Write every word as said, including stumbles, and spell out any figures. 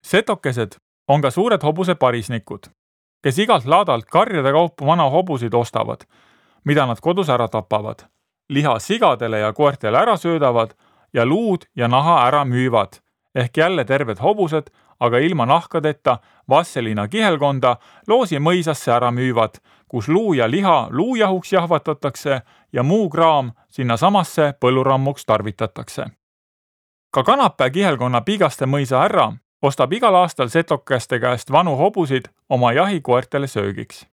Setokesed on ka suured hobuse parisnikud, kes igalt laadalt karjade kaupa vana hobusid ostavad, mida nad kodus ära tapavad, liha sigadele ja koertele ära söödavad ja luud ja naha ära müüvad, ehk jälle terved hobused, aga ilma nahkadeta Vasselina kihelkonda Loosi mõisasse ära müüvad, kus luu ja liha luujahuks jahvatatakse ja muu kraam sinna samasse põllurammuks tarvitatakse. Ka Kanapää kihelkonna Pigaste mõisa härra ostab igal aastal setokeste käest vanu hobusid oma jahikoertele söögiks.